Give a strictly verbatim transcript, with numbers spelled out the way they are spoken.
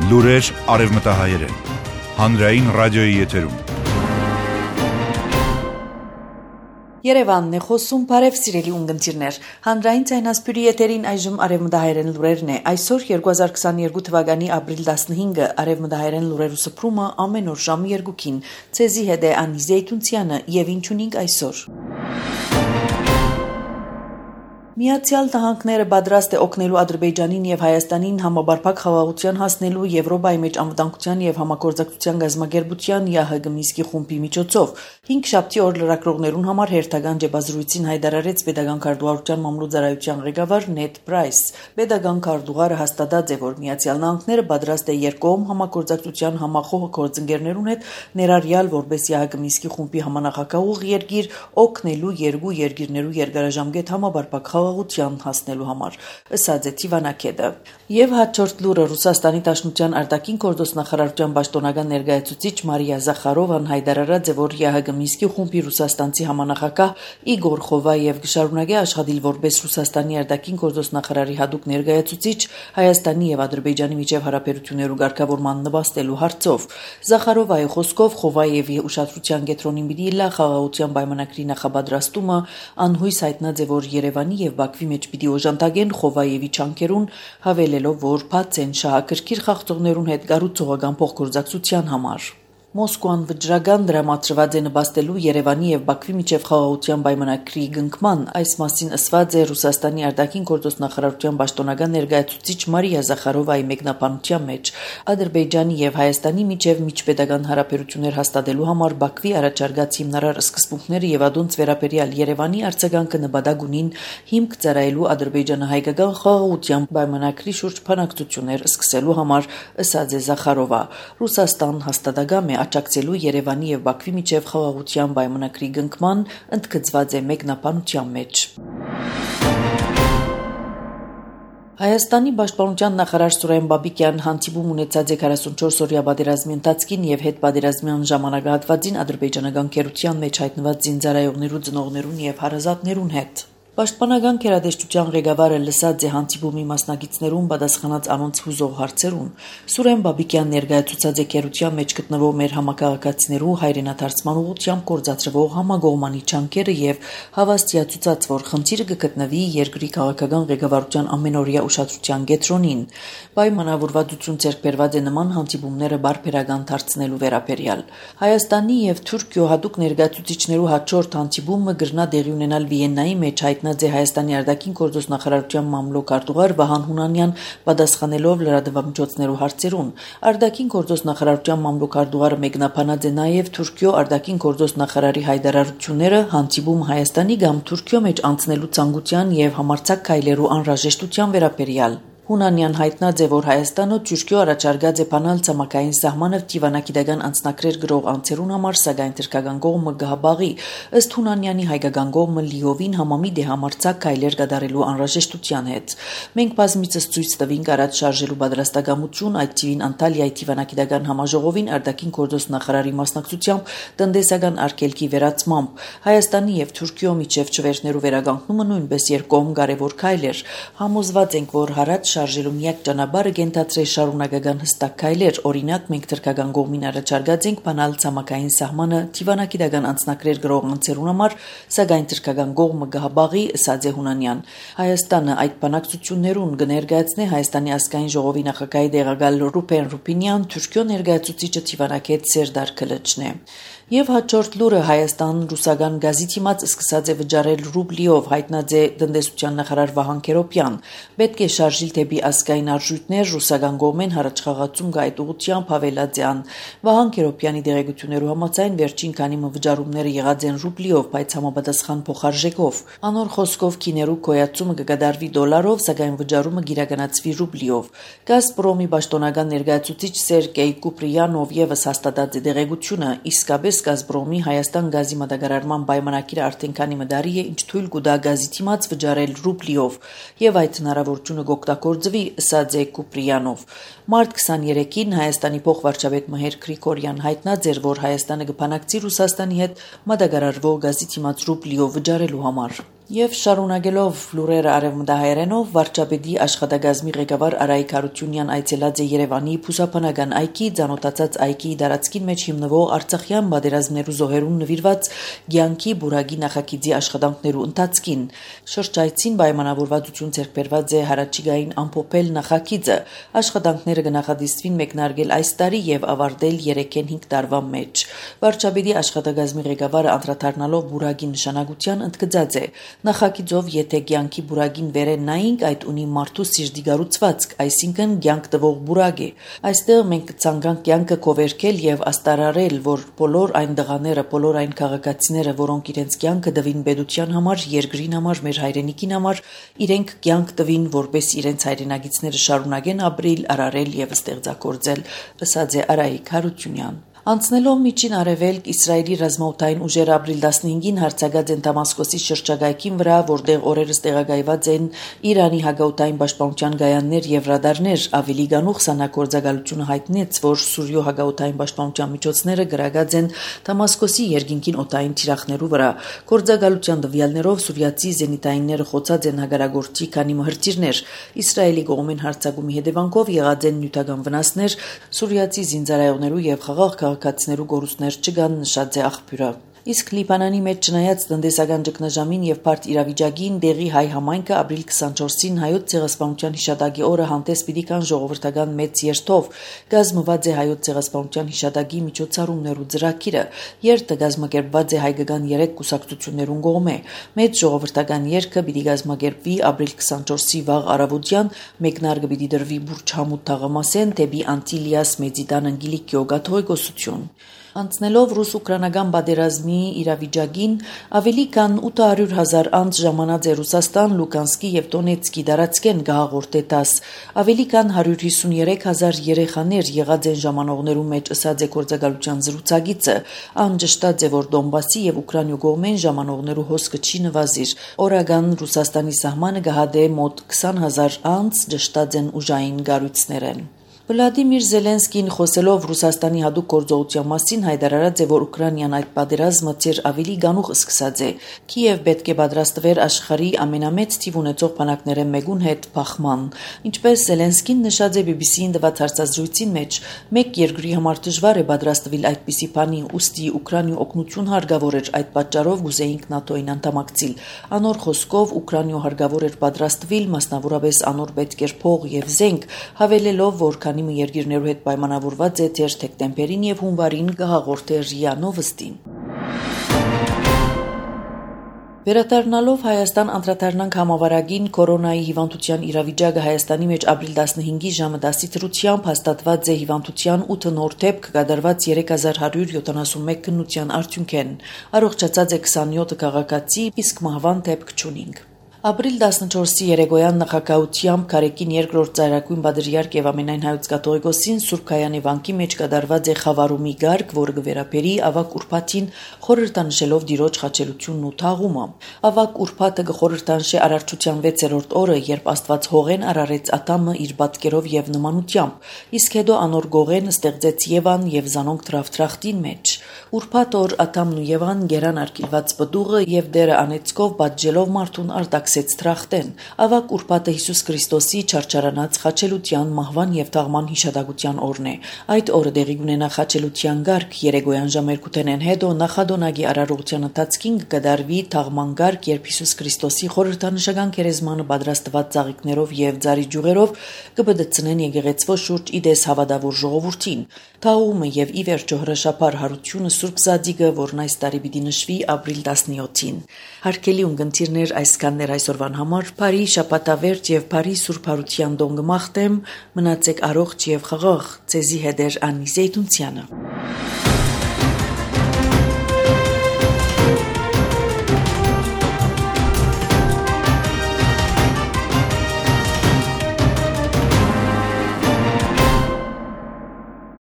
Լուրեր արևմտահայերեն, հանրային ռադիոյի եթերում։ Երևանն է խոսում, բարև սիրելի ունգընտիրներ, հանրային ցայնասպյուրի եթերին այժմ արևմտահայերեն լուրերն է, այսօր երկու հազար քսաներկու թվականի ապրիլ տասնհինգը արևմտահայերեն լուրերու սփռումը ամեն օր ժամը երկուքին, ցեզի հետ է Անի Զեյթունցյանը եւ ինչ ունենք այսօր։ Միացյալ Նահանգները պատրաստ է օգնելու Ադրբեջանին եւ Հայաստանին համապարփակ խաղաղության հասնելու Եվրոպայի մեջ անվտանգության եւ համագործակցության գազམ་ագերբության ԵԱՀԿ Մինսկի խումբի միջոցով հինգշաբթի օր լրագրողներուն համար հերթական ջեբազրույցին հայտարարեց Պետական քարտուղարության մամլոյ-ծառայության ղեկավար Նեդ Պրայս։ Պետական քարտուղարը հաստատած է, որ Միացյալ Նահանգները պատրաստ է երկկողմ համագործակցության համախոհ գործընկերներուն հետ ներառյալ որպես ԵԱՀԿ Մինսկի խումբի համանախագահող երկիր օգնելու երկու երկիրներու երկարաժամկետ համապարփակ խաղաղության հասնելու համար, ըսած է Թիվանակեդը։ Եվ հաջորդ լուրը Ռուսաստանի Դաշնության արտաքին գործոստնախարարության պաշտոնական ներկայացուցիչ Մարիա Զախարովան հայտարարած է, որ ԵԱՀԿ Մինսկի խումբի ռուսաստանցի համանախագահ Իգոր Խովայև կշարունակի աշխատել որպես Ռուսաստանի արտաքին գործոստնախարարի հատուկ ներկայացուցիչ Հայաստանի եւ Ադրբեջանի միջև հարաբերություններու ղեկավարման նպաստելու հարցով։ Զախարովայի խոսքով Խովայևի ուշադրության կենտրոնին պիտի լա խաղաղության պայմանագրի նախապատրաստումը, անհույս հայտնած է, որ Երևանի եւ Բաքվի մեջ պիտի օժանդակեն Խովայևի չանքերուն, հավելելով, որ բաց են շահագրգիռ խաղացողներուն հետ կառուցողական փոխգործակցության համար։ Մոսկվան վճռական դրամատրված է նպաստելու Երևանի եւ Բաքվի միջև խաղաղության պայմանագրի կնքման, այս մասին ասված է Ռուսաստանի արտաքին գործոստնախարարության պաշտոնական ներկայացուցիչ Մարիա Զախարովայի մեկնաբանության մեջ։ Ադրբեջանի եւ Հայաստանի միջև միջպետական հարաբերություններ հաստատելու համար Բաքվի առաջարկած հիմնարար սկզբունքները եւ ադոնց վերաբերյալ Երևանի արձագանքը նպատակ ունին հիմք ծառայելու ադրբեջանահայկական խաղաղության պայմանագրի շուրջ բանակցություններ սկսելու համար, ըսած է Զախարովա։ Ռուսաստան հաստատակամ է աջակցելու Երևանի եւ Բաքվի միջև խաղաղության պայմանագրի կնքման, ընդգծված է մեկնաբանության մեջ։ Հայաստանի պաշտպանության նախարար Սուրեն Բաբիկյան հանդիպում ունեցած է քառասունչորս-օրյա պատերազմի ընթացքին եւ հետպատերազմյան ժամանակահատվածին ադրբեջանական քերության մեջ հայտնված զինծառայողներու, ծնողներուն եւ հարազատներուն հետ։ Պաշտպանական քերադեշտության ղեկավարը լսած է հանդիպումի մասնակիցներուն պատասխանած անոնց հուզող հարցերուն։ Սուրեն Բաբիկյան ներկայացուցած է քերության մեջ գտնվող մեր համակարգացիներու հայրենադարձման ուղղությամբ գործադրվող համագողմանի չանքերը եւ հավաստիացուցած, որ խնդիրը կգտնվի երկրի քաղաքական ղեկավարության ամենօրյա ուշադրության կենտրոնին։ Պայմանավորվածություն ձեռք բերված է նման հանդիպումները բարբերական դարձնելու վերաբերյալ։ Հայաստանի եւ Թուրքիո հատուկ ներկայացուցիչներու հաջորդ հանդիպումը կգրնա տեղի ունենալ Վիեննայի մեջ հայտնած է Հայաստանի արտաքին գործոստնախարարության մամլոյ-քարտուղար Վահան Հունանյան պատասխանելով լրատվամիջոցներու հարցերուն։ Արտաքին գործոստնախարարության մամլոյ-քարտուղարը մեկնաբանած է նաև Թուրքիո արտաքին գործոստնախարարի հայտարարությունները հանդիպում Հայաստանի կամ Թուրքիո մեջ անցնելու ցանկության եւ համարձակ քայլերու անհրաժեշտության վերաբերյալ։ Հունանյան հայտնած է, որ Հայաստանը Թուրքիո առաջարկած է բանալ ցամաքային սահմանը դիվանագիտական անձնակրեր գրող անձերուն համար, սակայն թուրքական կողմը գահաբաղի, ըստ Հունանյանի հայկական կողմը լիովին համամիտ է համարձակ քայլեր կատարելու անհրաժեշտության հետ։ Մենք բազմիցս ցույց տվինք առաջ շարժելու պատրաստակամություն, այդ թիվին Անտալիայի դիվանագիտական համաժողովին արտաքին գործոստնախարարի մասնակցությամբ տնտեսական արգելքի վերացմամբ Հայաստանի եւ Թուրքիո միջև չվերթներու վերականգնումը նույնպես երկկողմ կարևոր քայլ էր։ Համոզված ենք, որ հարաճ շարժելու միակ ճանապարհը կենտրոնացրել շարունակական հստակ քայլեր, օրինակ մենք թուրքական կողմին առաջարկած ենք բանալ ցամաքային սահմանը դիվանագիտական անձնակրեր գրող անձերուն համար, սակայն թուրքական կողմը գահաբաղի, ըսած է Հունանյան։ Հայաստանը այդ բանակցություններուն կներկայացնի Հայաստանի ազգային ժողովի նախագահի տեղակալ Ռուբեն Ռուբինյան, Թուրքիո ներկայացուցիչը Թիվանակետ Սերդար Քլիչն է։ Եվ հաջորդ լուրը Հայաստան ռուսական գազի թիմած սկսած է վճարել ռուբլիով, հայտնած է տնտեսության նախարար Վահան Քերոբյան։ Պետք է շարժիլ դեպի ազգային արժույթներ, ռուսական կողմեն հառաչխաղացում գա այդ ուղղությամբ հավելած է ան։ Վահան Քերոբյանի դերեկություններու համաձայն վերջին քանի մը վճարումները եղած են ռուբլիով, բայց համապատասխան փոխարժեքով։ Անոր խոսքով քիներու գոյացումը կկատարվի դոլարով, սակայն վճարումը գիրականացվի ռուբլիով։ Գազպրոմի պաշտոնական ներկայացուցիչ Սերգեյ Կուպրիանով եւս հաստատած է դերեկությունը, իսկապես Գազպրոմի Հայաստան գազի մատակարարման պայմանագիրը արդեն քանի մդարի է, ինչ թույլ կտա գազի թիմած վճարել ռուբլիով, եւ այդ հնարավորությունը կօգտագործվի, ըսած է Կուպրիանով։ Մարտ քսաներեքին Հայաստանի փոխվարչապետ Մհեր Գրիգորյան հայտնած էր, որ Հայաստանը կփանակցի Ռուսաստանի հետ մատակարարվող գազի թիմած ռուբլիով վճարելու համար։ Եվ շարունակելով լուրերը արևմտահայերենով, վարչապետի աշխատակազմի ղեկավար Արայիկ Հարությունյան այցելած է Երևանի Փուսափանական այգի, ծանոթացած այգիի տարածքին մեջ հիմնվող արցախյան պատերազմներու զոհերուն նվիրված կյանքի բուրագի նախագիծի աշխատանքներու ընթացքին։ Շրջայցին պայմանավորվածություն ձեռք բերված է հարաճիգային ամփոփել նախագիծը, աշխատանքները կնախադիստվին մեկնարկել այս տարի եւ ավարտել երեքեն հինգ տարվա մեջ։ Վարչապետի աշխատակազմի ղեկավարը անդրադառնալով բուրագի նշանակության ընդգծած է. Նախագիծով եթե կյանքի բուրագին վերեն նայինք, այդ ունի մարդու սիրտի գառուցվածք, այսինքն կյանք տվող բուրագ է։ Այստեղ մենք կցանկանք կյանքը կովերքել եւ աստարարել, որ բոլոր այն դղաները, բոլոր այն քաղաքացիները, որոնք իրենց կյանքը տվին պետության համար, երկրին համար, մեր հայրենիքին համար, իրենք կյանք տվին, որպես իրենց հայրենագիցները շարունակեն ապրել, արարել եւ ստեղծագործել, ըսած է Արայիկ Հարությունյան։ Անցնելով միջին արևելք Իսրայելի ռազմաօդային ուժերը ապրիլ տասնհինգին հարձակած են Դամասկոսի շրջակայքին վրա, որտեղ օրերս տեղակայված են Իրանի հակաօդային պաշտպանության գայաններ եւ ռադարներ, ավելի գանուխ սանագործակալությունը հայտնեց, որ Սուրիո հակաօդային պաշտպանության միջոցները գրագած են Դամասկոսի երկինքին օդային թիրախներու վրա։ Գործակալության տվյալներով սուրիացի զենիտայինները խոցած են հագարագործի քանի մհրճիրներ։ Իսրայելի կողմեն հարձակումի հետևանքով եղած են նյութական վնասներ, սուրիացի զինծառայողներու եւ խաղաղ քաղաքացիներու գորուստներ չկան, նշած է աղբյուրը։ Իսկ Լիբանանի մեջ չնայած տնտեսական ճգնաժամին եւ բարդ իրավիճակին դեղի հայ համայնքը ապրիլ քսանչորսին հայոց ցեղասպանության հիշատակի օրը հանդես պիտի կան ժողովրդական մեծ երթով։ Գազմված է հայոց ցեղասպանության հիշատակի միջոցառումներու ծրագիրը։ Երթը գազմագերբված է հայկական երեք կուսակցություններուն կողմէ։ Մեծ ժողովրդական երթը պիտի գազմագերբվի ապրիլ քսանչորսի վաղ առավոտյան, մեկնարկը պիտի դրվի Բուրջ Համուդ թաղամասեն դեպի Անտիլիաս Մեծիտան Անգելիկիո կաթողիկոսություն։ Անցնելով ռուս-ուկրաինական պատերազմի իրավիճակին, ավելի քան ութ հարյուր հազար անձ ժամանած է Ռուսաստան, Լուկանսկի եւ Դոնեցկի տարածքեն գահաղորդե տաս։ Ավելի քան հարյուր հիսունյերեք հազար երեխաներ եղած են ժամանողներու մեջ, ըսած է գործակալության զրուցակիցը։ Ան ճշտած է, որ Դոնբասի եւ Ուկրաինու կողմեն ժամանողներու հոսքը չի նվազիր։ Օրական Ռուսաստանի սահմանը գահադե մոտ քսան հազար անձ, ճշտած են ուժային գառույցներեն։ Վլադիմիր Զելենսկին խոսելով Ռուսաստանի հատուկ գործողության մասին հայտարարած է, որ Ուկրաինան այդ պատերազմը ծեր ավելի գանուխ սկսած է։ Կիև պետք է պատրաստվեր աշխարհի ամենամեծ թիվ ունեցող բանակները մեկուն հետ փախման։ Ինչպես Զելենսկին նշած է բի բի սի-ին տված հարցազրույցին մեջ, մեկ երկրի համար դժվար է պատրաստվել այդպիսի բանի, ուստի Ուկրաինու օգնություն հարկավոր էր, այդ պատճառով գուզեինք ՆԱՏՕ-ին անդամակցել։ Անոր խոսքով Ուկրաինու հարկավոր էր պատրաստվել, մասնավորապես անոր պետք էր փող եւ զենք, հավելելով, որ քանի մի երկիրներու հետ պայմանավորված է թեր դեկտեմբերին եւ հունվարին կհաղորդե ՌԻԱ Նովոստին։ Վերադառնալով Հայաստան անդրադառնանք համավարակին կորոնայի հիվանդության իրավիճակը Հայաստանի մեջ ապրիլ տասնհինգի ժամը դասի դրությամբ հաստատված է հիվանդության ութ նոր դեպք կատարված երեք հազար հարյուր յոթանասունմեկ քննության արդյունքեն։ Առողջացած է քսանյոթ քաղաքացի, իսկ մահվան դեպք չունինք։ Ապրիլ տասնչորսի երեկոյան նախագահությամբ Քարեկին երկրորդ ծայրագույն բادرիարք եւ ամենայն հայոց կաթողիկոսին Սուրբ Քայանի վանքի մեջ կատարված է խավարումի գարկ, որը կվերապերի ավակ ուրբաթին խորհրդանշելով Տիրոջ խաչելությունն ու թաղումը։ Ավակ ուրբաթը կխորհրդանշի արարչության վեցերորդ օրը, երբ Աստված հողեն արարեց Ադամը իր պատկերով եւ նմանությամբ, իսկ հետո անոր գողեն ստեղծեց Եվան եւ զանոնք դրավտրախտին մեջ։ Ուրբաթ օր Ադամն ու Եվան գերան արկելված բդուղը եւ դերը անեցկով պատժելով մարդուն արտաքսեց թրախտեն։ Ավակ ուրբաթը Հիսուս Քրիստոսի չարչարանած խաչելության, մահվան եւ թաղման հիշատակության օրն է։ Այդ օրը տեղի կունենա խաչելության գարկ, երեկոյան ժամերկութենեն հետո նախադոնագի արարողության ընթացքին կդարվի թաղման գարկ, երբ Հիսուս Քրիստոսի խորհրդանշական քերեզմանը պատրաստված ծաղիկներով եւ ձարի ջուղերով կբդցնեն եկեղեցվո շուրջ իդես հավատավոր ժողովրդին։ Թաղումը եւ ի վերջո հրաշափար հարությունը Սուրբ Զադիգը, որն այս տարի պիտի նշվի ապրիլ տասնյոթին։ Հարկելի ունգընտիրներ, այսքաններ այսօրվան համար, բարի շաբաթավերջ եւ բարի Սուրբ Հարության տոն կմաղթեմ, մնացեք առողջ եւ խաղաղ, ցեզի հետ էր Անի Զեյթունցյանը։